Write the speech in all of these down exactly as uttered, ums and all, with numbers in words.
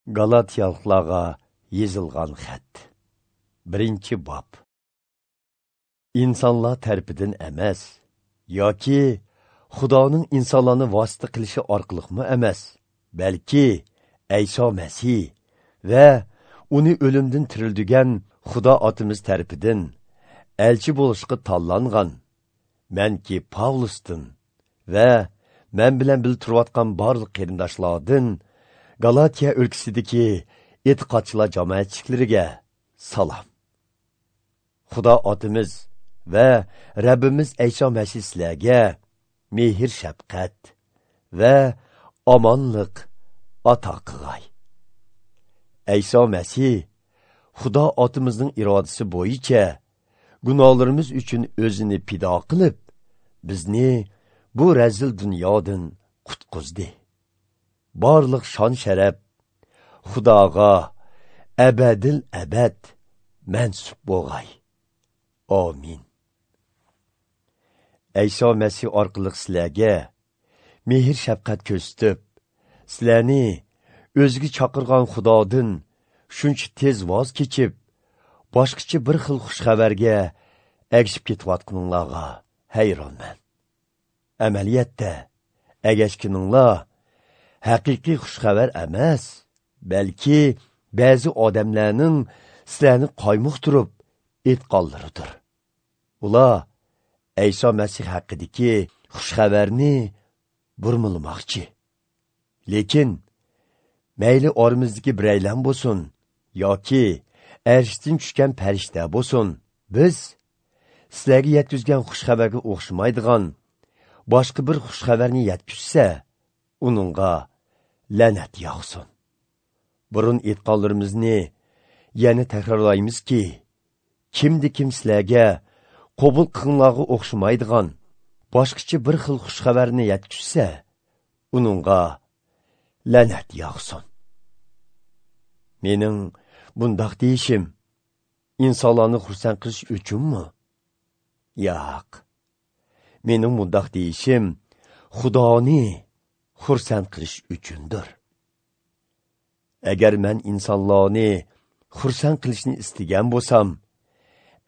Galatiyalıqlarga yozilgan xat. Birinchi bob. Insonlar tarafidan emas, yoki Xudoning insonlarni vosita qilishi orqaliqmi emas, balki Ayso Masih va uni o'limdan tirildigan Xudo otimiz tarafidan elchi bo'lishga tanlangan manki Pavlusdan va men bilan birga turayotgan barliq qarindoshlardan Galatiya o'lkasidagi e'tiqodchilar jamoatchiliklariga salom. Xudo otimiz va Rabbimiz Ayso Masih sizlarga mehr shafqat va omonlik ato qilg'ay. Ayso Masih Xudo otimizning irodasi bo'yicha gunohlarimiz uchun o'zini fido qilib, bizni bu razil dunyodan qutqizdi. Barliq shon sharaf Xudoga abadil abad mansub bo'lg'ay. Amin. Ayso Masih orqali sizlarga mehr shafqat ko'rsatib, sizlarni o'ziga chaqirgan Xudodan shuncha tez voz kechib, boshqacha bir xil xush xabarga ergishib ketayotganinglarga hayronman. Amaliyotda ergashganinglar haqiqiy xush xabar emas, balki ba'zi odamlarning sizlarni qaymoqtirib aytganlaridir. Ular Ayso Masih haqidagi xush xabarni burmalamoqchi. Lekin mayli oramizdagi biraylan bo'lsin yoki arshdan tushgan farishta bo'lsin, biz sizlarga yetkazgan xush xabarga o'xshamaydigan boshqa bir xush xabarni yetkazsa, uningga la'nat yog'sin. Burun aytganlarimizni yana takrorlaymizki, kimdi kim sizlarga qabul qilganlarga o'xshamaydigan boshqacha bir xil xush xabarni yetkazsa, uningga la'nat yog'sin. Mening bundoq deyishim insonlarni xursand qilish uchunmi? Yo'q. Mening bundoq deyishim Xudoni xursand qilish uchundir. Agar men insonlarni xursand qilishni istagan bo'lsam,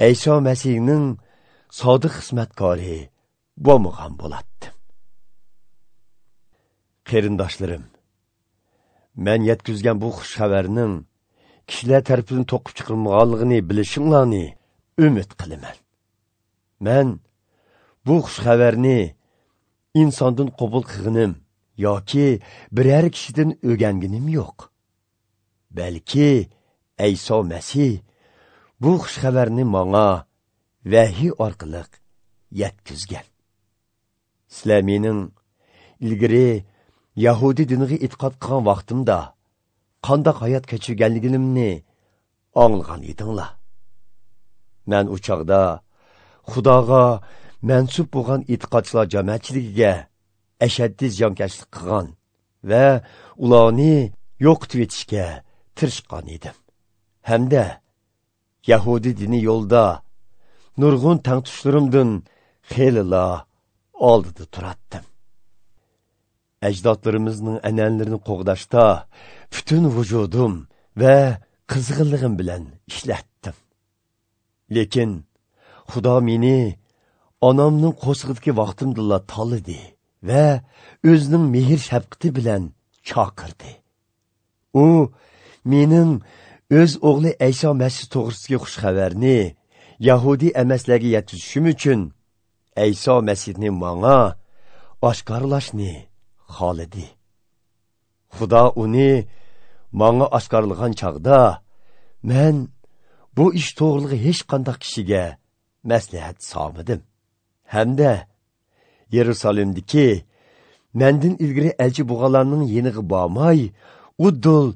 Ayso Masihning sodiq xizmatkori bo'lmagan bo'lardim. Qarindoshlarim, men yetkazgan bu xush xabarning kishilar tarafidan to'qib chiqarilmaganligini bilishinglarni umid qilaman. Men bu xush xabarni insondan qabul qilganim yoki biror kishidan o'rganganim yo'q. Balki Ayso Masih bu xush xabarni menga vahiy orqali yetkazgan. Sizlar mening ilgari Yahudi diniga e'tiqod qilgan vaqtimda qanday hayot kechirganligimni anglagan edinglar. Men u chog'da Xudoga mansub bo'lgan e'tiqodchilar jamoatchiligiga ashaddiy ziyonkashlik qilgan va ularni yo'qotib etishga tirishgan edim. Hamda Yahudi dini yo'lida nurg'un tangtushlarimdan xeylila oldida turatdim. Ajdodlarimizning an'analarini qo'g'dashda butun vujudim va qizg'inligim bilan ishlatdim. Lekin Xudo meni onamning qo'sig'idagi vaqtimdala tanladi va o'zining mehr shafqati bilan chaqirdi. U mening o'z o'g'li Ayso Masih to'g'risidagi xush xabarni Yahudi emaslarga yetkazishim uchun Ayso Masihni menga oshkorlashni xohladi. Xudo uni menga oshkorlagan chog'da men bu ish to'g'rilig'i hech qanday kishiga maslahat solmadim. Hamda Yerusalimdagi mendan ilgari elchi bo'lganlarning yeniga bormay, uddul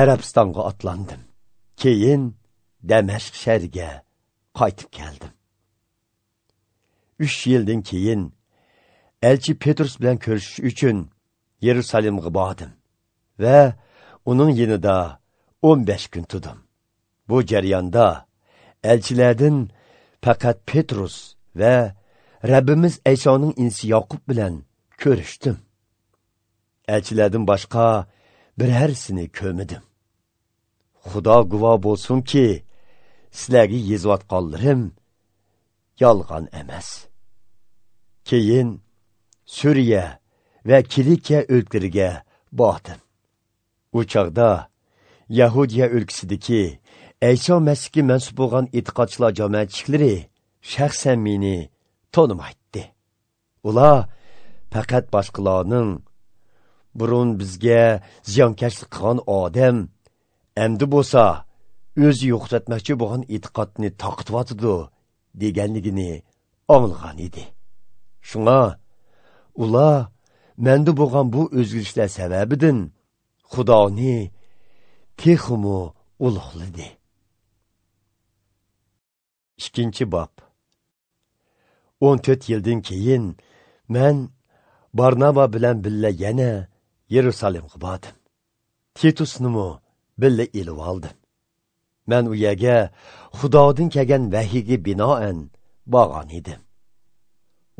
Arabistonga otlandim. Keyin Damashq shahriga qaytib keldim. Uch yildan keyin elchi Petrus bilan ko'rishish uchun Yerusalimga bordim va uning yanida o'n besh kun turdim. Bu jarayonda elchilardan faqat Petrus va Rabbimiz Aysoning inisi Yoqub bilan ko'rishdim. Elchilardan boshqa birharsini ko'rmadim. Xudo guvoh bo'lsinki, sizlarga yozayotganlarim yolg'on emas. Keyin Suriya va Kilikiya o'lkalariga bordim. U chog'da Yahudiya o'lkasidagi Ayso Masihga mansub bo'lgan e'tiqodchilar jamoatchilari shaxsan meni tonimaydi. Ular faqat boshqalarning burun bizga ziyonkashlik qilgan odam endi bo'lsa o'zi yo'qotmoqchi bo'lgan e'tiqodni taqtivyotidi deganligini anglagan edi. Shunga ular menda bo'lgan bu o'zgarishlar sababidan Xudoni texmu ulug'ladi. Ikkinchi bob. o'n to'rt yildan keyin men Barnaba bilan birga yana Yerusalimga bordim. Titusnimi birga ilib oldim. Men u yerga Xudodan kelgan vahiyga binoan borgan edim.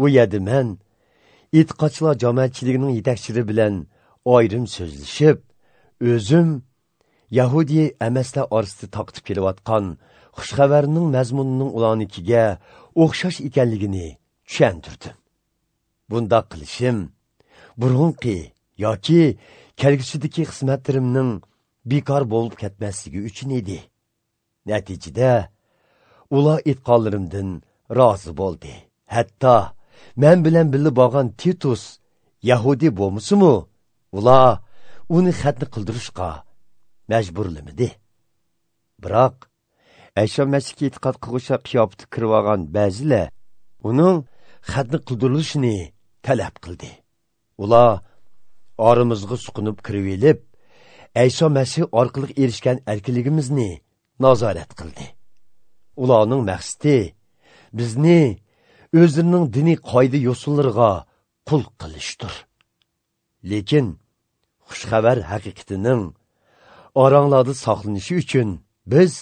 U yerda men e'tiqodchilar jamoatchiligining yetakchilari bilan ayrim so'zlashib, o'zim Yahudiy emaslar orasida taqtib kelayotgan xushxabarning mazmunining ularnikiga o'xshash ekanligini tushuntirdim. Bundaq qilishim burunqi yoki kelgusidagi xizmatlarimning bekor bo'lib ketmasligi uchun edi. Natijada ular aytganlarimdan rozi bo'ldi. Hatto men bilan birga borgan Titus Yahudi bo'lmasa-mu, ular uni xatni qildirishga majburlamadi. Biroq Ayso Masihga e'tiqod qilg'uvchi qiyofati kirib olgan ba'zilar uning xatni qildirilishini talab qildi. Ular oramizga suqinib kirib elib, Ayso Masih orqali erishgan erkinligimizni nazorat qildi. Ularning maqsadi bizni o'zlarining diniy qoida yo'sullariga qul qilishdir. Lekin xushxabar haqiqatining oranglarda saqlanishi uchun biz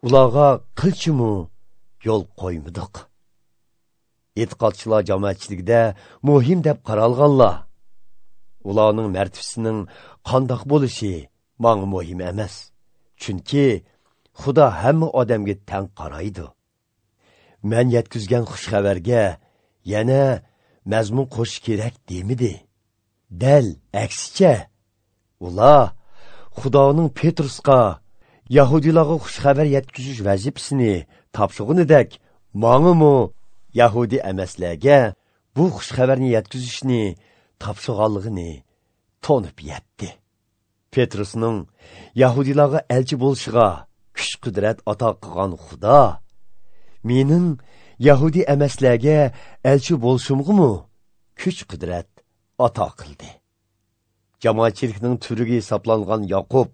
ularga qilchimu yo'l qo'ymadik. E'tiqodchilar jamoatchiligida muhim deb qaralganlar, ularning martabasining qandoq bo'lishi menga muhim emas. Chunki Xudo hamma odamga tang qaraydi. Men yetkazgan xushxabarga yana mazmun qo'shish kerak demidi. Dal aksicha, ular Xudoning Petrusga Yahudilarga xushxabar yetkazish vazifasini topshirganidek, mangimi Yahudi emaslarga bu xushxabarni yetkazishni topshirganligini tonib yetdi. Petrusning Yahudilarga elchi bo'lishiga kuch-qudrat ato qilgan Xudo mening Yahudi emaslarga elchi bo'lishimg'imi kuch-qudrat ato qildi. Jamoatchilikning turiga hisoblangan Yaqub,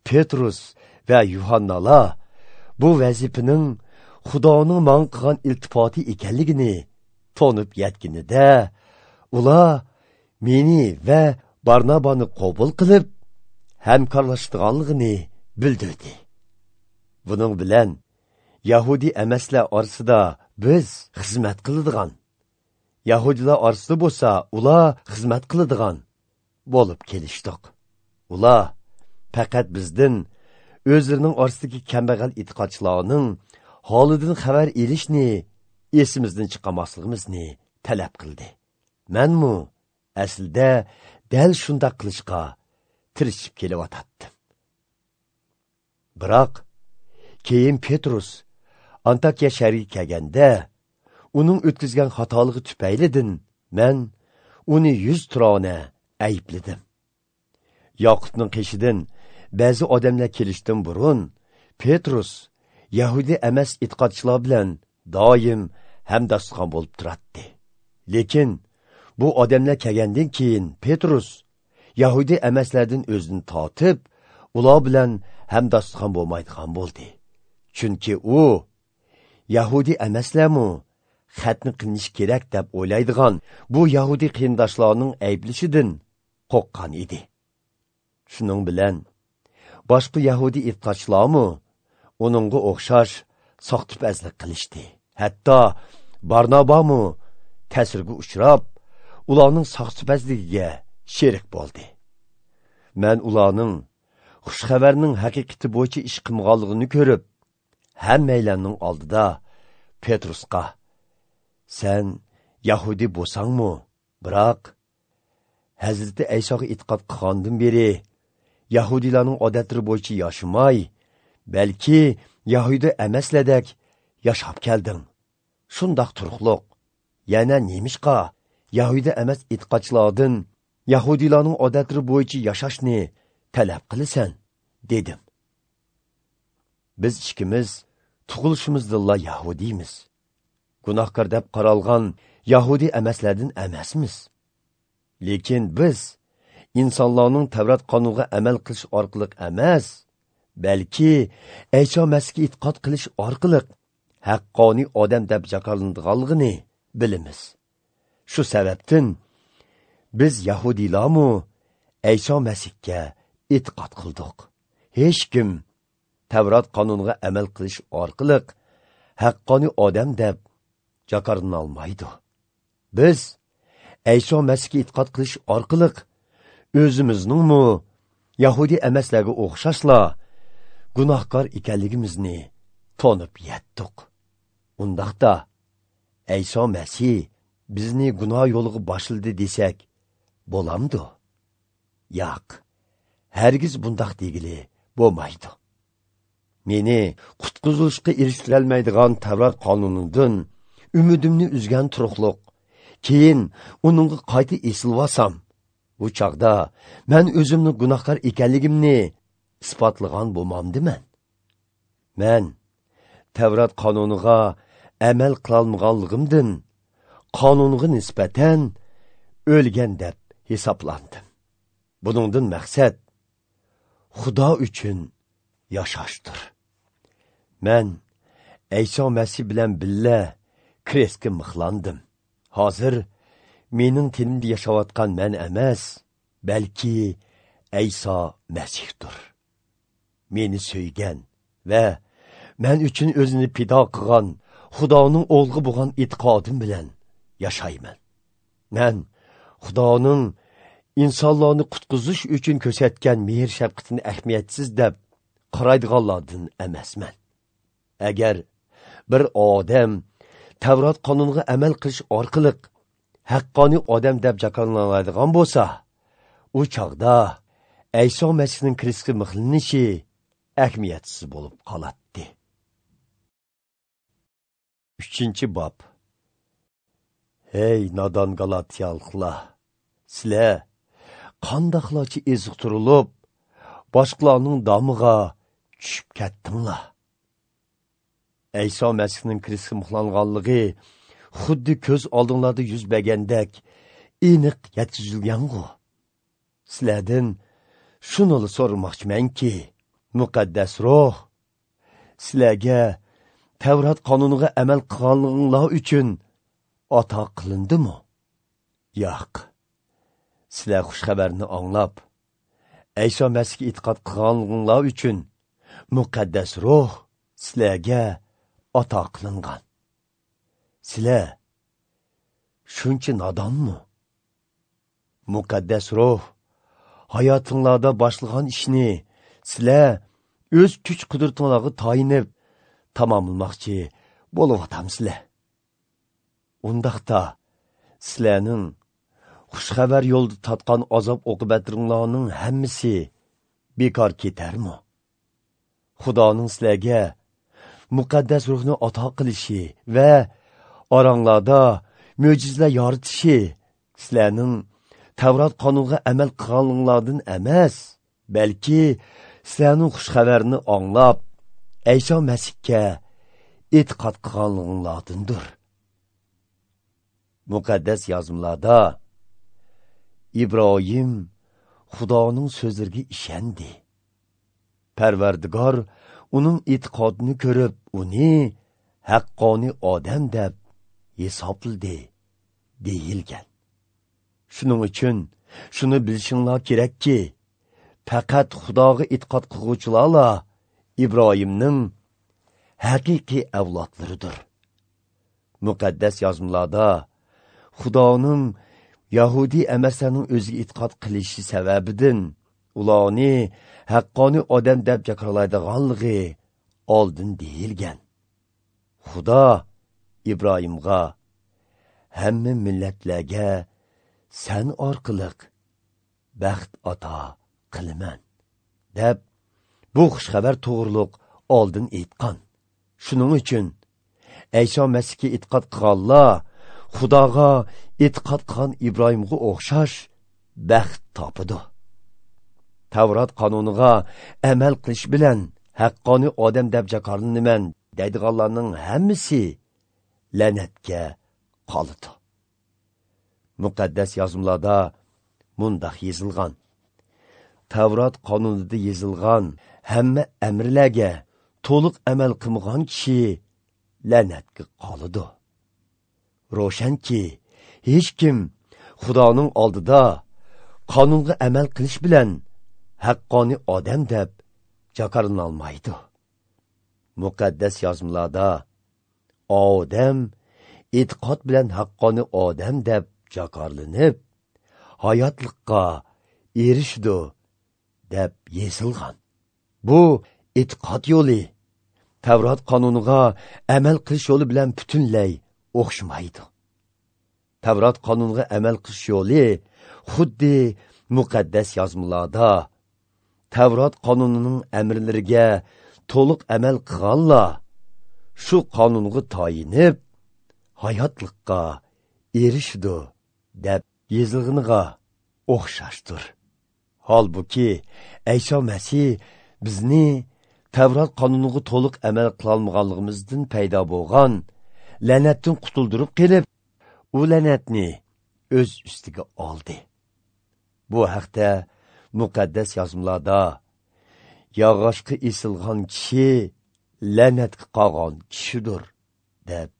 Petrus va Yuhannalar bu vazifaning Xudoning man qilgan iltifoti ekanligini tonib yetganida, ular meni va Barnabani qabul qilib, hamkorlashganligini bildirdi. Buning bilan Yahudi emaslar orasida biz xizmat qiladigan, Yahudilar orasida bo'lsa ular xizmat qiladigan bo'lib kelishdik. Ular faqat bizdan o'zlarining orasidagi kambag'al e'tiqodchilarning holidan xabar elishni esimizdan chiqarmasligimizni talab qildi. Menmu aslida dal shundoq qilishga tirishib kelyotdim. Biroq keyin Petrus Antakya shahriga kelganda, uning o'tkazgan xatoligi tufaylidan men uni yuz turona aybladim. Yoqubning qishidan ba'zi odamlar kelishdan burun Petrus Yahudi emas e'tiqodchilar bilan doim hamdastxon bo'lib turardi. Lekin bu odamlar kelgandan keyin Petrus Yahudi emaslardan o'zini tortib, ular bilan hamdastxon bo'lmaydigan bo'ldi. Chunki u Yahudi emaslarmi xatni qilinish kerak deb o'ylaydigan bu Yahudi qarindoshlarning ayblashidan qo'rqqan edi. Shuning bilan boshqa Yahudi e'tiqodchilarmi uningga o'xshash soxtipazlik qilishdi. Hatto Barnabami ta'sirga uchrab, ularning soxtipazligiga sherik bo'ldi. Men ularning xush xabarning haqiqati bo'yicha ish qilmaganligini ko'rib, hammaylarning oldida Petrusqa: "Sen Yahudi bo'lsangmi, biroq Hazrati Aysoga e'tiqod qilgandan beri Yahudilarning odatlari bo'yicha yashamay, balki Yahudi emaslardek yashab kelding. Shundoq turuqliq yana nemishqa Yahudi emas e'tiqodchilardan Yahudilarning odatlari bo'yicha yashashni talab qilasan?" dedim. Biz ikkimiz tug'ilishimizdilla Yahudiymiz. Gunohkor deb qaralgan Yahudi emaslardan emasmiz. Lekin biz insonlarning Tavrat qonuniga amal qilish orqali emas, balki Ayso Masihga e'tiqod qilish orqali haqqoniy odam deb jakollanadiganligini bilamiz. Shu sababdan biz Yahudilarmi Ayso Masihga e'tiqod qildik. Hech kim Tavrat qonuniga amal qilish orqali haqqoniy odam deb jakollanolmaydi. Biz Ayso Masihga e'tiqod qilish orqali o'zimizningmi Yahudi emaslarga o'xshashla gunohkor ekanligimizni tonib yetdik. Undaqda Ayso Masih bizni gunoh yo'liga boshladi desak bo'lamdi? Yo'q, hargiz bundaq degili bo'lmaydi. Meni qutqizilishga erishtirolmaydigan Tavrat qonunidan umidimni uzgan turuqliq, keyin uningga qayta esilvasam, bu chaqda men o'zimni gunohkor ekanligimni isbotlagan bo'lmamdiman. Men Tavrat qonuniga amal qilolmaganligimdan qonunga nisbatan o'lgan deb hisoblandim. Buningdan maqsad Xudo uchun yashashdir. Men Ayso Masih bilan billa krestga mixlandim. Hozir mening tenimda yashayotgan men emas, balki Ayso Masihdir. Meni so'ygan va men uchun o'zini fido qilgan Xudoning o'g'li bo'lgan e'tiqodim bilan yashayman. Men Xudoning insonlarni qutqizish uchun ko'rsatgan mehr shafqatini ahamiyatsiz deb qaraydiganlardan emasman. Agar bir odam Tavrat qonuniga amal qilish orqali haqqoniy odam deb jakollanadigan bo'lsa, u chaqda Ayso Masihning krestga mixlanishi ahamiyatsiz bo'lib qoladi. Uchinchi bob. Hey nodon Galatiyaliklar, sizlar qandoqlarcha eziqtirilib, boshqalarning domiga tushib ketdinglar. Ayso Masihning krestga mixlanganligi xuddi ko'z oldinglarda yuz bergandek aniq yetkazilgan-ku. Sizlardan shuni so'ramoqchimanki, muqaddas ruh sizlarga Tavrat qonuniga amal qilganliginglar uchun ato qilindimi? Yo'q. Sizlar xush xabarni anglab, Ayso Masihga e'tiqod qilganliginglar uchun muqaddas ruh sizlarga ato qilingan. Sizlar shuncha nodonmi? Muqaddas ruh hayotinglarda boshlagan ishni sizlar o'z kuch qudratinglarga tayinib tamomlamoqchi bo'lyapsizlar. Undaqda sizlarning xush xabar yo'lida tatgan azob oqibatlaringlarning hammasi bekor ketarmi? Xudoning sizlarga muqaddas ruhni ato qilishi va oranglarda mo'jizalar yoritishi sizlarning Tavrat qonuniga amal qilganinglardan emas, balki sizlarning xush xabarni anglab, Ayso Masihga e'tiqod qilganliginglardandir. Muqaddas yozmalarda Ibrohim Xudoning so'zlariga ishondi. Parvardigor uning e'tiqodini ko'rib, uni haqqoniy odam deb hisobladi deyilgan. Shuning uchun shuni bilishinglar kerakki, faqat Xudoga e'tiqod qilguvchilarla Ibrohimning haqiqiy avlodlaridir. Muqaddas yozmalarda Xudoning Yahudi emaslarning o'ziga e'tiqod qilishi sababidan ularni haqqoniy odam deb jakorlaydiganligi oldin deyilgan. Xudo Ibrohimga hamma millatlarga sen orqali baxt ato qilaman deb bu xushxabar to'g'riliq oldin aytgan. Shuning uchun Ayso Masihga e'tiqod qilganlar Xudoga e'tiqod qilgan Ibrohimga o'xshash baxt topadi. Tavrat qonuniga amal qilish bilan haqqoniy odam deb jakorlanaman deydiganlarning hammasi la'natga qoladi. Muqaddas yozmalarda mundaq yozilgan: Tavrat qonunida yozilgan hamma amrlarga to'liq amal qilmagan kishi la'natga qoladi. Ro'shanki, hech kim Xudoning oldida qonunga amal qilish bilan haqqoniy odam deb jakorlanolmaydi. Muqaddas yozmalarda odam e'tiqod bilan haqqoniy odam deb jakorlanib, hayotlikqa erishdi deb yozilgan. Bu e'tiqod yo'li Tavrat qonuniga amal qilish yo'li bilan butunlay o'xshamaydi. Tavrat qonuniga amal qilish yo'li xuddi muqaddas yozmalarda Tavrat qonunining amrlariga to'liq amal qilganlar shu qonunga tayinib hayotlikqa erishdi deb yozilganiga o'xshashdir. Holbuki Ayso Masih bizni Tavrat qonuniga to'liq amal qilolmaganligimizdan paydo bo'lgan la'natdan qutuldirib kelib, u la'natni o'z ustiga oldi. Bu haqda muqaddas yozmalarda yog'ochga esilgan kishi la'natga qolgan kishidir deb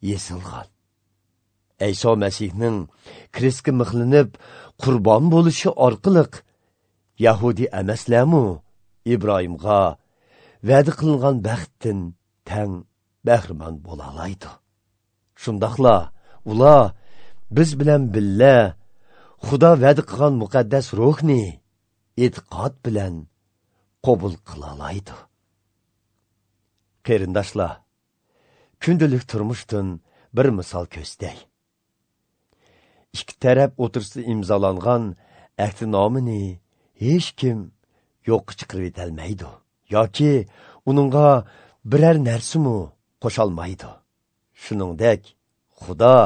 yozilgan. Ayso Masihning krestga mixlanib qurbon bo'lishi orqali Yahudi emaslarmi Ibrohimga va'da qilingan baxtdan tang bahramand bo'la oladi. Shundoqla ular biz bilan billa Xudo va'da qilgan muqaddas ruhni e'tiqod bilan qabul qila oladi. Qarindoshlar, kundalik turmushdan bir misol ko'rsatay. Ikki taraf o'tirsida imzolangan ahdnomani hech kim yo'qqa chiqarib etolmaydi yoki uningga biror narsami qo'sholmaydi. Shuningdek, Xudo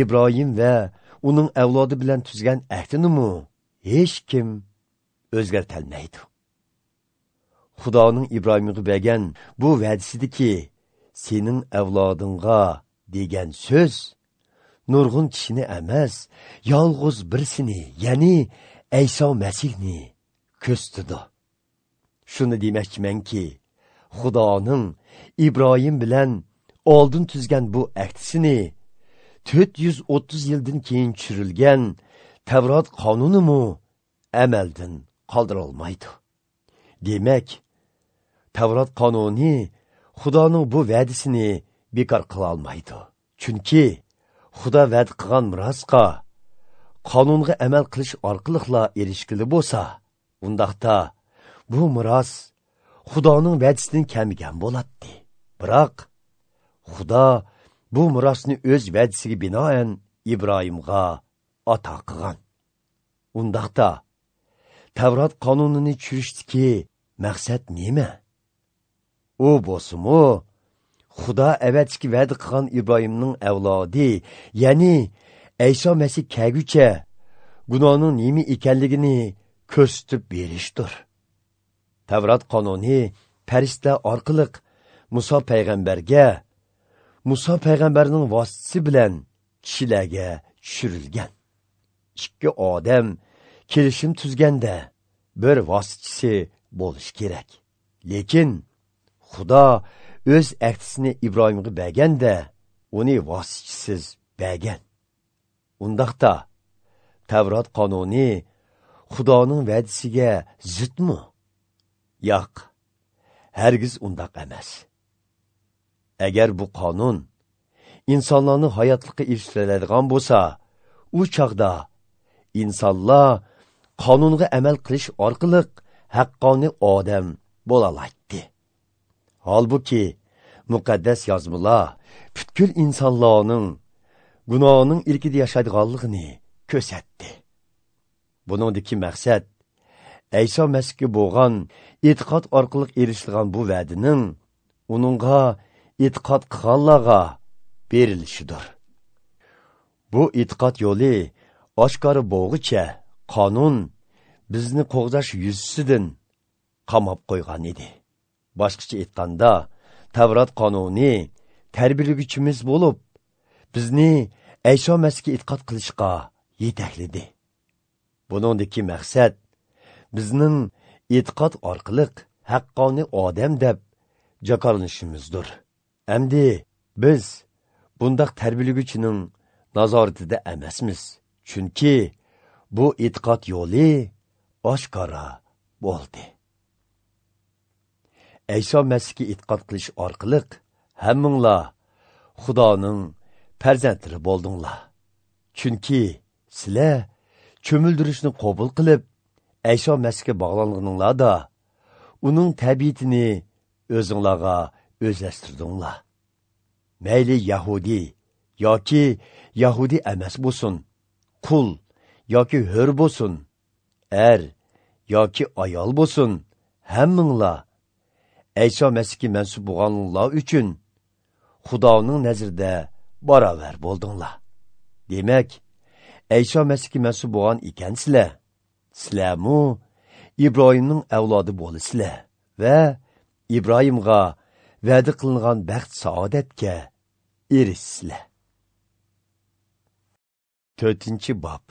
Ibrohim va uning avlodi bilan tuzgan ahdini hech kim o'zgartolmaydi. Xudoning Ibrohimga bergan bu va'dasidiki sening avlodingga degan so'z nurg'un kishini emas, yolg'iz birisini, ya'ni Ayso Masihni ko'rsatdi. Shuni demoqchimanki, Xudoning Ibrohim bilan oldin tuzgan bu ahdisini to'rt yuz o'ttiz yildan keyin tushirilgan Tavrat qonunimi amaldan qoldira olmaydi. Demak, Tavrat qonuni Xudoning bu va'dasini bekor qila olmaydi. Chunki Xudo va'da qilgan merosga qonunga amal qilish orqali erishkili bo'lsa, undaqda bu meros Xudoning va'dasidan kamigan bo'ladi. Biroq Xudo bu merosni o'z va'dasiga binoan Ibrohimga ato qilgan. Undaqda Tavrat qonunini tushirishdagi maqsad nima? U bo'lsa-mu, Xudo avvalgi va'da qilgan Ibrohimning avlodi, ya'ni Ayso Masih kelguncha gunohning nima ekanligini ko'rsatib berishdir. Tavrat qonuni farishta orqali Muso payg'ambarga, Muso payg'ambarning vositasi bilan kishilarga tushirilgan. Ikki odam kelishim tuzganda bir vositachisi bo'lishi kerak. Lekin Xudo o'z ahdisini Ibrohimga berganda uni vositachisiz bergan. Undaqda Tavrat qonuni Xudoning va'dasiga zidmi? Yo'q, hargiz undaq emas. Agar bu qonun insonlarni hayotlikka erishtiradigan bo'lsa, u chog'da insonlar qonunga amal qilish orqali haqqoniy odam bo'laoladi. Holbuki muqaddas yozmalar butkul insonlarning gunohning ilkida yashaydiganligini ko'rsatdi. Buningdagi maqsad Ayso Masihga bo'lgan e'tiqod orqali erishilgan bu va'daning uningga e'tiqod qilganlarga berilishidir. Bu e'tiqod yo'li oshkora bo'lg'icha qonun bizni qo'g'dash yuzasidan qamab qo'ygan edi. Boshqacha aytganda, Tavrat qonuni tarbiyalaguchimiz bo'lib, bizni Ayso Masihga e'tiqod qilishga yetakladi. Buningdagi maqsad bizning e'tiqod orqali haqqoniy odam deb jakorlanishimizdir. Endi biz bundaq tarbiyalaguchining nazoratida emasmiz, chunki bu e'tiqod yo'li oshkora bo'ldi. Ayso Masihga e'tiqod qilish orqali hammanglar Xudoning farzandlari bo'ldinglar. Chunki sizlar cho'mildirishni qabul qilib, Ayso Masihga bog'langaninglarda uning tabiatini o'zinglarga o'zlashtirdinglar. Mayli Yahudi yoki Yahudi emas bo'lsin, qul yoki hur bo'lsin, er yoki ayol bo'lsin, hammanglar Ayso Masihga mansub bo'lganlar uchun Xudoning nazarida barobar bo'ldinglar. Demak, Ayso Masihga mansub bo'lgan ekansizlar, sizlarmu Ibrohimning avlodi bo'lasizlar va Ibrohimga va'da qilingan baxt saodatga erishsizlar. To'rtinchi bob.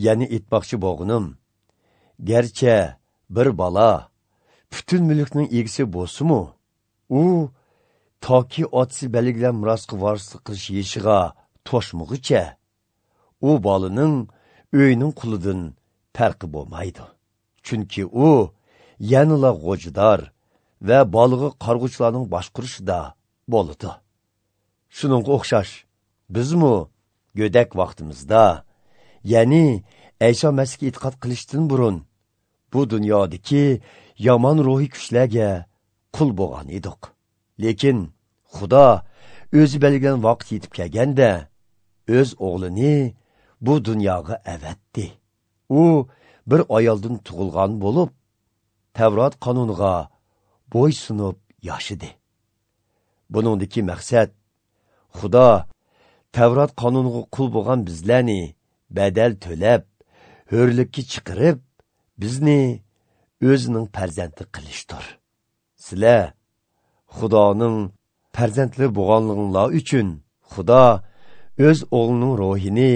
Ya'ni aytmoqchi bo'lganim, garchi bir bola butun mulkning egisi bo'lsa-mu, u toki otasi belgilan merosga varislik qilish yoshiga to'shmag'icha, u bolaning uyining qulidan farqi bo'lmaydi. Chunki u yanala g'o'jidor va bolig'i qarg'uvchilarning boshqurishida bo'ladi. Shuningga o'xshash, bizmu go'dak vaqtimizda, ya'ni Ayso Masihga e'tiqod qilishdan burun bu dunyodagi yomon ruhiy kuchlarga qul bo'lgan edik. Lekin Xudo o'zi belgilagan vaqt yetib kelganda o'z o'g'lini bu dunyoga avatdi. U bir ayoldan tug'ilgan bo'lib, Tavrat qonuniga bo'ysunib yashidi. Buningdagi maqsad Xudo Tavrat qonuniga qul bo'lgan bizlarni badal to'lab, hurlikka chiqarib, bizni o'zining farzandi qilishdir. Sizlar Xudoning farzandlari bo'lganligingiz uchun Xudo o'z o'g'lining ruhini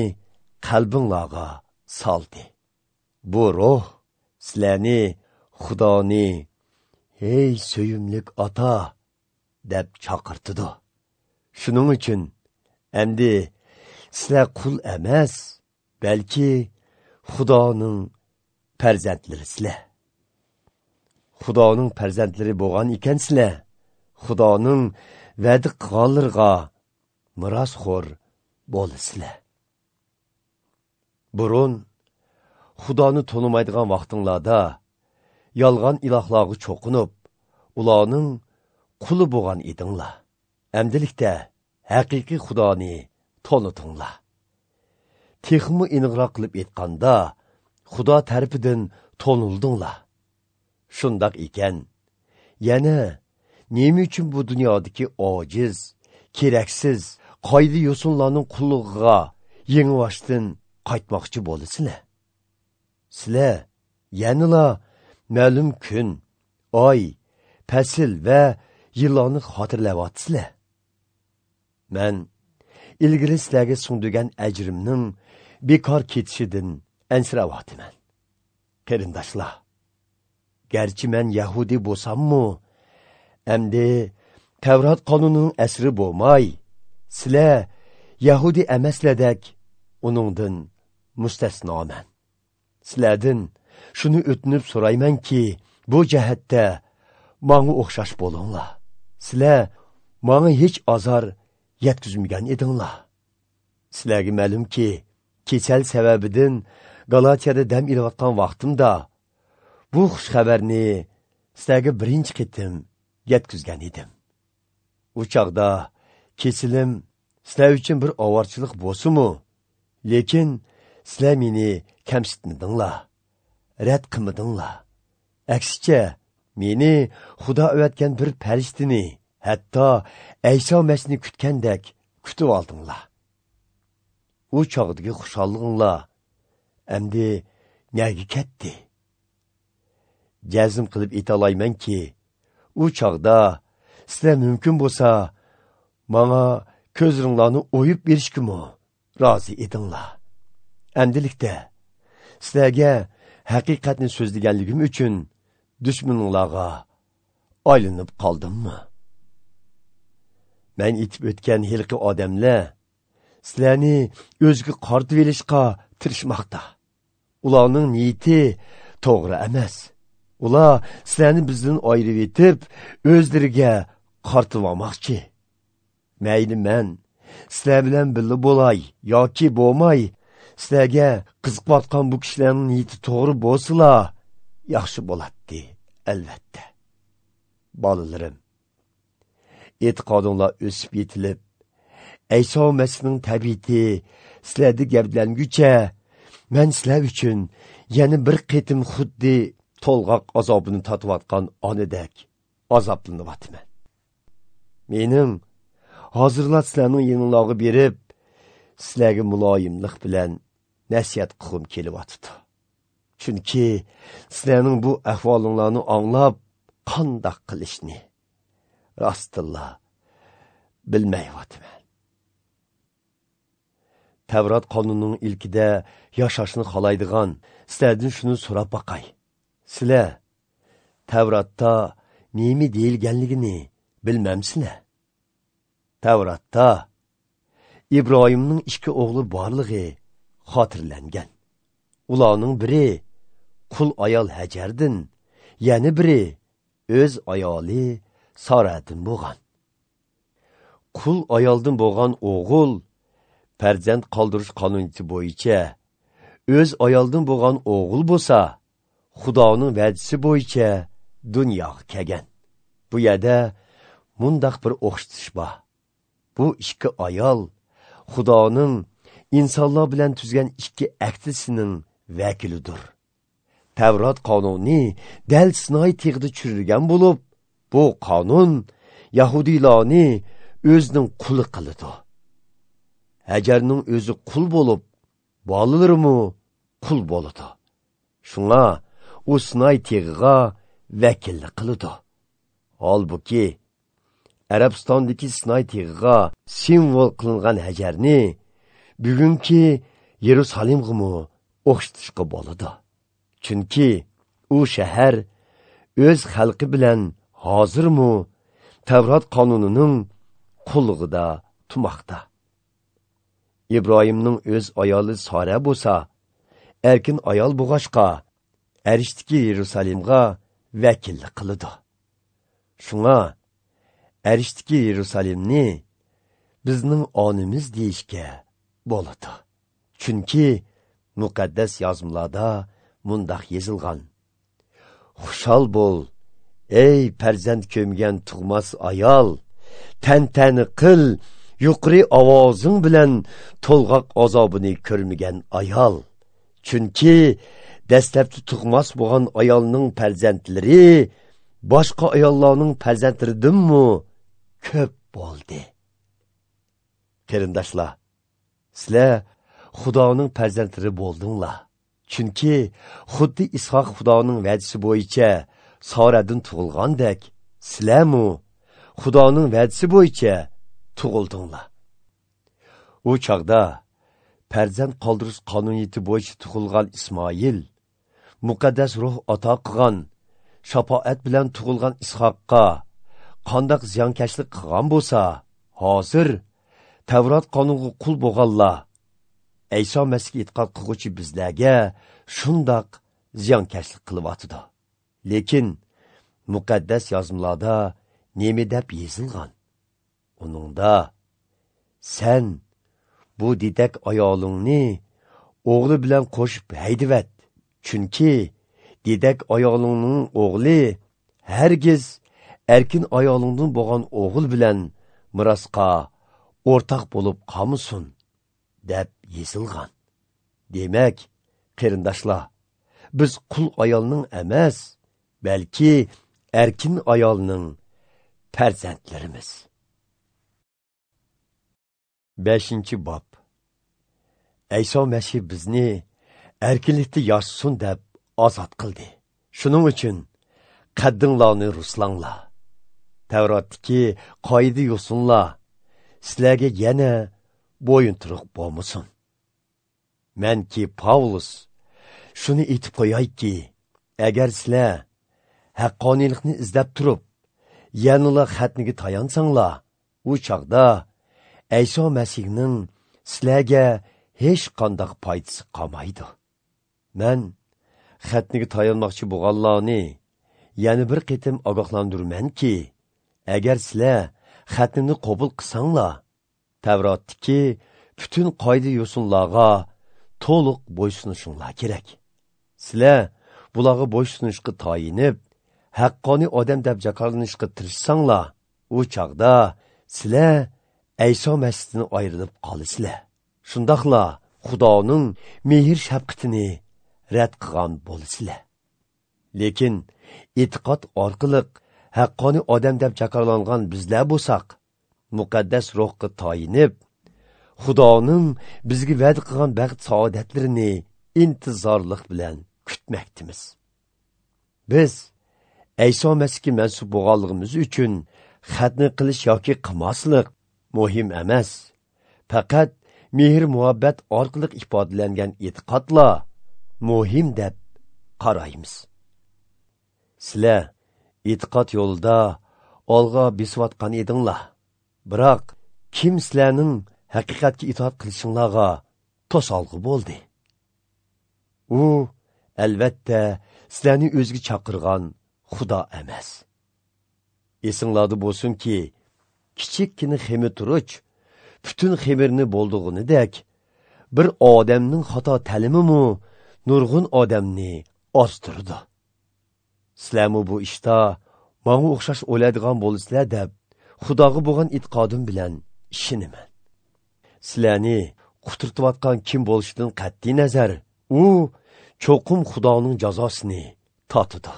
qalbinglarga soldi. Bu ruh sizlarni Xudoni "Ey suyumlik ota" deb chaqirtidi. Shuning uchun endi sizlar qul emas, balki Xudoning farzandlarisizlar. Xudoning farzandlari bo'lgan ekansizlar, Xudoning va'da qilganlariga merosxo'r bo'lasizlar. Burun Xudoni tonimaydigan vaqtinglarda yolg'on ilohlarga cho'qinib, ularning quli bo'lgan edinglar. Әмділікте haqiqiy Xudoni tonitinglar. Texmi aniqroq qilib aytganda, Xudo tarafidan tonildinglar. Shundoq ekan, yana nima uchun bu dunyodagi ojiz, keraksiz, qoida yo'sinlarning qullig'iga yengivashdan qaytmoqchi bo'lasizlar? Sizlar yanala ma'lum kun, oy, fasl va yillarni xotirlayapsizlar. Men ilgari sizlarga sungdigan ajrimning bekor ketishidan ansirayapman. Qarindoshlar, garchi men yahudi bo'lsammu, endi Tavrat qonunining asri bo'lmay, sizlar yahudi emaslardek uningdan mustasnoman. Sizlardan shuni o'tinib so'raymanki, bu jihatda menga o'xshash bo'linglar. Sizlar menga hech azor yetkazmagan edinglar. Sizlarga ma'lumki, kasal sababidan Galatiyada dam ilayotgan vaqtimda bu xush xabarni sizlarga birinchi qitim yetkazgan edim. U chog'da kesilim sizlar uchun bir ovorchilik bo'lsa-mu, lekin sizlar meni kamsitmadinglar, rad qilmadinglar. Aksicha, meni Xudo o'vatgan bir farishtani, hatto Ayso Masihni kutgandek kutib oldinglar. U chog'dagi xushalliginglar endi nega ketdi? Jazm qilib ayta-olaymanki, u chog'da sizlar mumkin bo'lsa, manga ko'zlaringlarni o'yib berishgimi rozi edinglar. Endilikda sizlarga haqiqatni so'zlaganligim uchun dushmaninglarga aylanib qoldimmi? Men aytib o'tgan hilqi odamlar sizlarni o'ziga qartib olishga tirishmoqda. Ularning niyati to'g'ri emas. Ular sizlarni bizdan ayirib etib, o'zlariga qartib olmoqchi. Mayli men sizlar bilan birga bo'lay yoki bo'lmay, sizlarga qiziqayotgan bu kishilarning niyati to'g'ri bo'lsa, yaxshi bo'ladi albatta. Bolalarim, e'tiqodinglar o'sib yetilib, Ayso Masihning tabiati sizlarda gavdalanguncha, men sizlar uchun yana bir qitim xuddi to'lg'oq azobini totayotgan onadek azoblanyapman. Mening hozirlar sizlarning yoninglarga berib, sizlarga muloyimlik bilan nasihat qilgim kelyapti. Chunki sizlarning bu ahvolinglarni anglab qandoq qilishni rostilla bilmayapman. Tavrat qonunining ilkida yashashni xohlaydigan sizlardan shuni so'rab boqay. Sizlar Tavratda nima deyilganligini bilmamsizlar? Tavratda Ibrohimning ikki o'g'li borligi xotirlangan. Ularning biri qul ayol Hajardan, yana biri o'z ayoli Saradan bo'lgan. Qul ayoldan bo'lgan o'g'il farzand qoldirish qonuniyati bo'yicha o'z ayoldan bo'lgan o'g'il bo'lsa, Xudoning va'dasi bo'yicha dunyoga kelgan. Bu yerda mundaq bir o'xshatish bor. Bu ikki ayol Xudoning insonlar bilan tuzgan ikki ahdisining vakilidir. Tavrat qonuni dal Sinoy tig'ida tushirilgan bo'lib, bu qonun yahudiylarni o'zining quli qiladi. Hajarning o'zi qul bo'lib, bolalarimi qul bo'ladi. Shunga u Sinoy tig'iga vakillik qiladi. Holbuki Arabistondagi Sinoy tig'iga simvol qilingan Hajarni bugungi Yerusalimga o'xshatishga bo'ladi. Chunki u shahar o'z xalqi bilan hozirmi Tavrat qonunining qullig'ida turmoqda. Ibrohimning o'z ayoli Sara bo'lsa, erkin ayol bo'g'ashqa Arishdagi Yerusalimga vakillik qiladi. Shunga Arishdagi Yerusalimni bizning onimiz deyishga bo'ladi. Chunki muqaddas yozmalarda mundaq yozilgan: Xushal bo'l, ey farzand ko'mgan tug'mas ayol, tantani qil, yuqori ovozing bilan to'lg'oq azobini ko'rmagan ayol. Chunki dastlabki tug'mas bo'lgan ayolning farzandlari boshqa ayollarning farzandlaridanmi ko'p bo'ldi. Qarindoshlar, sizlar Xudoning farzandlari bo'ldinglar. Chunki xuddi Ishoq Xudoning va'dasi bo'yicha Saradan tug'ilgandek, sizlarmi Xudoning va'dasi bo'yicha tug'ildinglar. U chog'da farzand qoldirish qonuniyati bo'yicha tug'ilgan Ismoil muqaddas ruh ato qilgan shafoat bilan tug'ilgan Ishoqqa qandoq ziyonkashlik qilgan bo'lsa, hozir Tavrat qonuniga qul bo'lganlar Ayso Masihga e'tiqod qilguvchi bizlarga shundoq ziyonkashlik qilyotidi. Lekin muqaddas yozmalarda nima deb yozilgan? Uningda sen bu didak ayolingni o'g'li bilan qo'shib haydivat. Chunki dedak ayolingning o'g'li hargiz erkin ayolingdan bo'lgan o'g'il bilan mirosqa o'rtoq bo'lib qolmasin, deb yozilgan. Demak, qarindoshlar, biz qul ayolning emas, balki erkin ayolning farzandlarimiz. Beshinchi bob. Ayso Masih bizni erkinlikda yashasin deb ozod qildi. Shuning uchun qaddinglarni ruslanglar. Tavrotdagi qoida yo'sinlar sizlarga yana bo'yinturuq bo'lmasin. Manki Pavlus shuni aytib qo'yayki, agar sizlar haqqoniylikni izlab turib, yanala xatniga tayansanglar, u chog'da Ayso Masihning sizlarga hech qanday foydasi qolmaydi. Men xatniga tayanmoqchi bo'lganlarni yana bir qitim ogohlantirmanki, agar sizlar xatnini qabul qilsanglar, Tavrotdagi butun qoida yo'sinlarga to'liq bo'ysunishinglar kerak. Sizlar bularga bo'ysunishga tayinib, haqqoniy odam deb jakorlanishga tirishsanglar, u chog'da sizlar Ayso Masihdan ayrilib qolasizlar. Shundoqla Xudoning mehr shafqatini rad qilgan bo'lasizlar. Lekin e'tiqod orqali haqqoniy odam deb jakorlangan bizlar bo'lsak, muqaddas ruhga tayinib, Xudoning bizga va'da qilgan baxt saodatlarini intizorlik bilan kutmoqdamiz. Biz Ayso Masihga mansub bo'lganligimiz uchun xatni qilish yoki qilmaslik muhim emas. Faqat mehr muhabbat orqali ifodalangan e'tiqodla muhim deb qaraymiz. Sizlar e'tiqod yo'lida olg'a besayotgan edinglar. Biroq kim sizlarning haqiqatga itoat qilishinglarga to'solg'i bo'ldi? U albatta sizlarni o'ziga chaqirgan Xudo emas. Esinglarda bo'lsinki, kichikgina xemir turuch butun xemirni bo'ldig'inidek, bir odamning xato ta'limimi nurg'un odamni ozdirdi. Sizlarmi bu ishda manga o'xshash o'ladigan bo'lasizlar deb Xudoga bo'lgan e'tiqodim bilan ishonaman. Sizlarni quturtayotgan kim bo'lishidan qat'iy nazar, u cho'qim Xudoning jazosini totidi.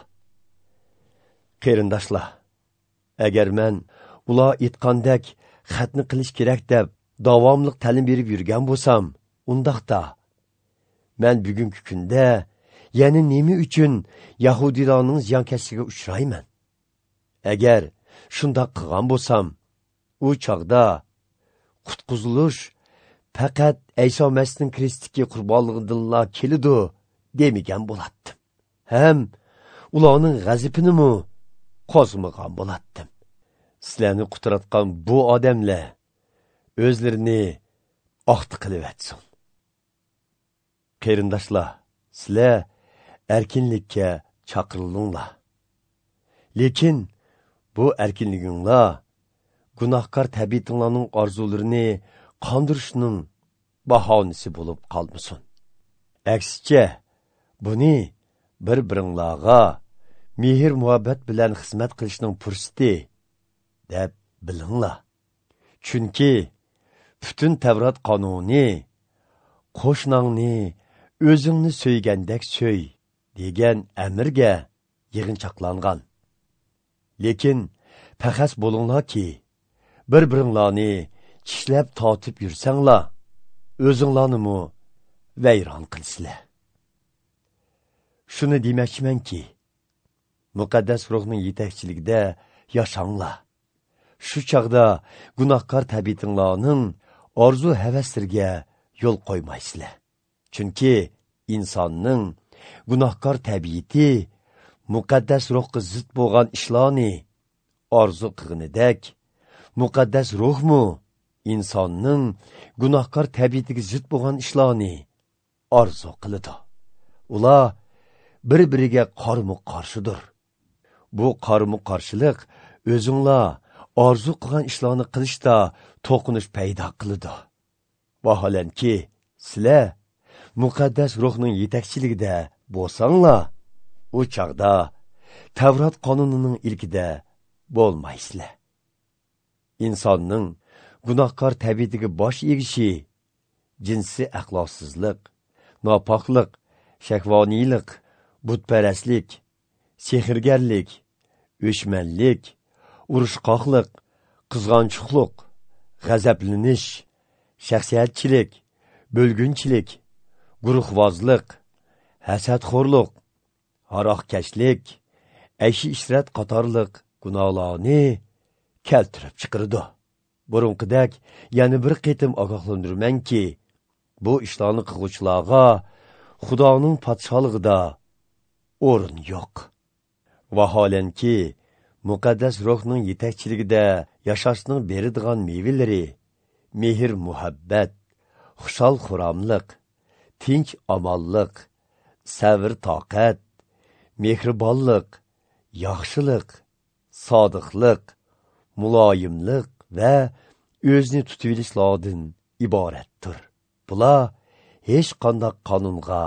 Qarindoshlar, agar men ular aytgandek xatni qilish kerak deb davomli ta'lim berib yurgan bo'lsam, undaqda men bugungi kunda yana nima uchun yahudiylarning ziyonkashligiga uchrayman? Agar shundoq qilgan bo'lsam, u chog'da qutqizilish faqat Ayso Masihning Kristdagi qurbonligidanla keladi demagan bo'lardim. Ham ularning g'azabini qo'zg'amagan bo'lardim. Sizlarni quturatgan bu odamlar o'zlarini oqti qilyotsin. Qarindoshlar, sizlar erkinlikka chaqirildinglar. Lekin bu erkinliginglar gunohkor tabiatinglarning orzularini qondirishning bahonasi bo'lib qolmasin. Aksicha, buni bir-biringlarga mehr muhabbat bilan xizmat qilishning fursati deb bilinglar. Chunki butun Tavrat qonuni qo'shnangni o'zingni so'ygandek so'y degan amirga yig'inchoqlangan. Lekin paxas bo'linglarki, bir-biringlarni tishlab tortib yursanglar, o'zinglarni vayron qilsizlar. Shuni demoqchimanki, muqaddas ruhning yetakchiligida yashanglar. Shu chog'da gunohkor tabiatinglarning orzu havaslariga yo'l qo'ymaysizlar. Chunki insonning gunohkor tabiati muqaddas ruhga zid bo'lgan ishlarni orzu qilganidek, muqaddas ruhmu insonning gunohkor tabiatiga zid bo'lgan ishlarni orzu qiladi. Ular bir-biriga qarama-qarshidir. Bu qarama-qarshilik o'zinglar orzu qilgan ishlarni qilishda to'qinish paydo qiladi. Vaholanki, sizlar muqaddas ruhning yetakchiligida bo'lsanglar, u chog'da Tavrat qonunining ilkida bo'lmaysizlar. Insonning gunohkor tabiatiga bosh egishi jinsiy axloqsizlik, nopoklik, shahvoniylik, butparastlik, sehrgarlik, o'chmanlik, urushqoqlik, qizg'onchiqlik, g'azablanish, shaxsiyatchilik, bo'lgunchilik, guruhvozlik, hasadxo'rlik, haroqkashlik, ayshi ishrat qatorliq gunohlarni keltirib chiqaradi. Burunqidek yana bir qitim ogohlantirmanki, bu ishlarni qilg'uvchilarga Xudoning podsholig'ida o'rin yo'q. Vaholanki, muqaddas ruhning yetakchiligida yashashning beradigan mevalari mehr muhabbat, xushal xuramliq, tinch omonlik, sabr toqat, mehribonlik, yaxshilik, sodiqlik, muloyimlik va o'zini tutib olishlardan iboratdir. Bular hech qanday qonunga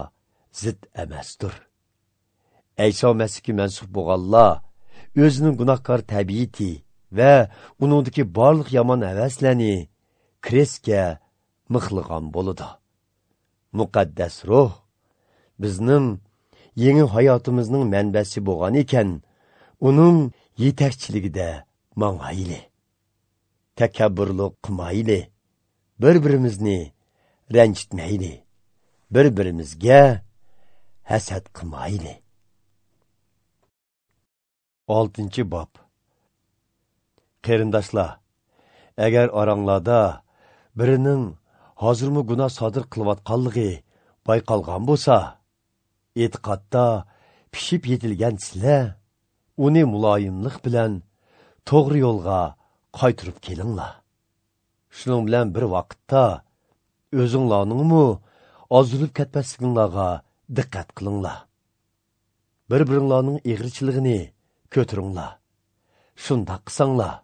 zid emasdir. Ayso Masihga mansub bo'lganlar o'zining gunohkor tabiati va uningdagi barliq yomon havaslarni krestga mixlagan bo'ladi. Muqaddas ruh bizning yangi hayotimizning manbasi bo'lgan ekan, uning yetakchiligida mangayli, takabburlik qilmayli, bir-birimizni ranjitmayli, bir-birimizga hasad qilmayli. Oltinchi bob. Qarindoshlar, agar oranglarda birining hozirmi gunoh sodir qilayotganligi bayqalgan bo'lsa, e'tiqodda pishib yetilgan sizlar uni muloyimlik bilan to'g'ri yo'lga qaytirib kelinglar. Shuning bilan bir vaqtda o'zinglarningmi ozilib ketmasliginglarga diqqat qilinglar. Bir-biringlarning eg'richiligini ko'taringlar. Shundoq qilsanglar,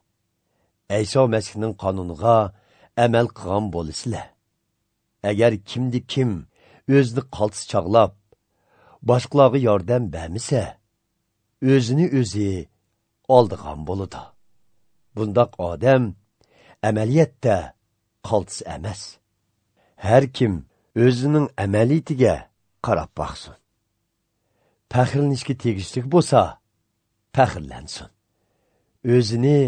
Ayso Masihning qonuniga amal qilgan bo'lasizlar. Agar kimdi kim o'zini qaltis chog'lab, boshqalarga yordam bermasa, o'zini o'zi oldigan bo'ladi. Bundoq odam amaliyotda qaltis emas. Har kim o'zining amaliyatiga qarab boqsin. Faxrlanishga tegishli bo'lsa, faxrlansin. O'zini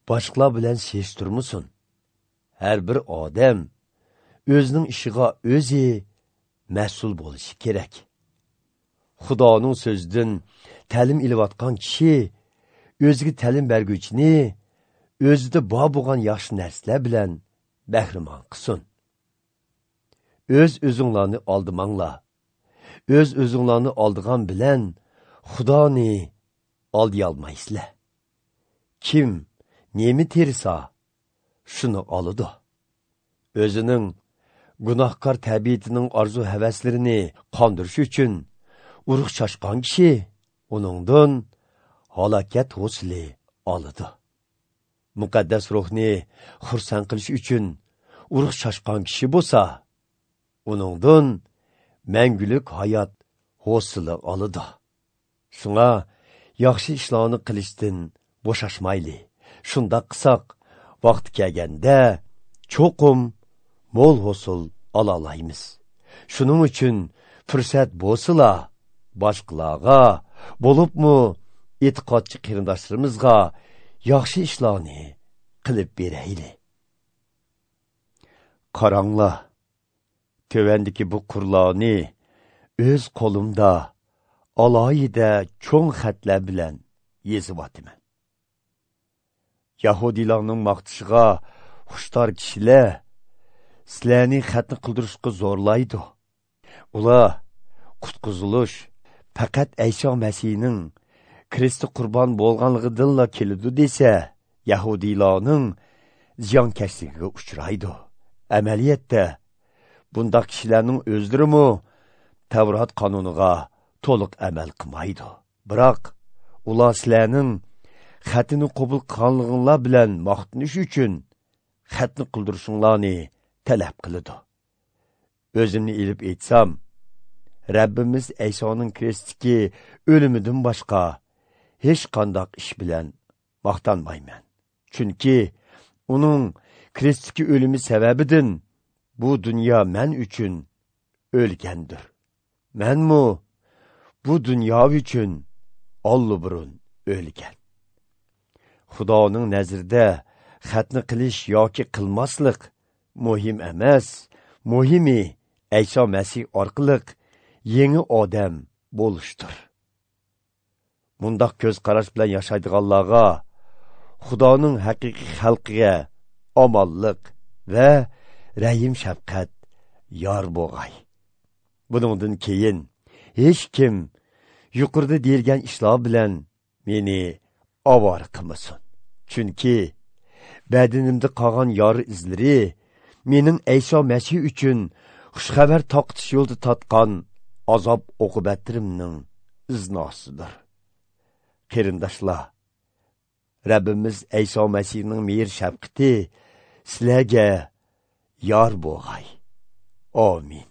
boshqalar bilan seshtirmasin. Har bir odam o'zining ishiga o'zi mas'ul bo'lishi kerak. Xudoning so'zidan ta'lim ilayotgan kishi o'ziga ta'lim berguvchini o'zida bor bo'lgan yaxshi narsalar bilan bahramon qilsin. O'z o'zinglarni oldimanglar. O'z o'zinglarni oldigan bilan Xudoni oldiy olmaysizlar. Kim nemi tersa, shuni oladi. O'zining gunohkor tabiatining orzu havaslarini qondirish uchun urug' chashgan kishi uningdan halokat hosili oladi. Muqaddas ruhni xursand qilish uchun urug' chashgan kishi bo'lsa, uningdan mangulik hayot hosili oladi. Shunga yaxshi ishlarni qilishdan bo'shashmayli. Shundoq qilsak, vaqti kelganda cho'qim mo'l hosil ola olamiz. Shuning uchun fursat bo'lsa, boshqalarga, bo'libmi e'tiqodchi qarindoshlarimizga yaxshi ishlarni qilib berayli. Qaranglar, tövəndiki bu qurlarni o'z qo'limda alohida cho'ng xatlar bilan yezivatıman. Yahudilarning maqtishiga xushtor kishilar sizlarni xatni qildirishga zo'rlaydi. Ular qutqizilish faqat Ayso Masihning Kristi qurbon bo'lganligidanla keladi desa, Yahudilarning ziyonkashligiga uchraydi. Amaliyotda bundaq kishilarning o'zlarimi Tavrat qonuniga to'liq amal qilmaydi. Biroq ular sizlarning xatini qabul qilganliginglar bilan maqtanish uchun xatni qildirishinglarni talab qiladi. O'zimni ilib aytsam, Rabbimiz Aysoning krestdagi o'limidan boshqa hech qanday ish bilan maqtanmayman. Chunki uning krestdagi o'limi sababidan bu dunyo men uchun o'lgandir. Menmu bu dunyo uchun olloburun o'lgan. Xudoning nazarida xatni qilish yoki qilmaslik muhim emas. Muhimi Ayso Masih orqali yangi odam bo'lishdir. Mundaq ko'z qarash bilan yashaydiganlarga Xudoning haqiqiy xalqiga omonlik va rahim shafqat yor bo'g'ay. Buningdan keyin hech kim yuqorida deyilgan ishlar bilan meni ovora qilmasin. Chunki badanimda qolgan yori izlari mening Ayso Masih uchun xushxabar taqitish yo'lida tatgan azob oqibatlarimning iznosidir. Qarindoshlar, Rabbimiz Ayso Masihning mehr shafqati sizlarga yor bo'g'ay. Amin.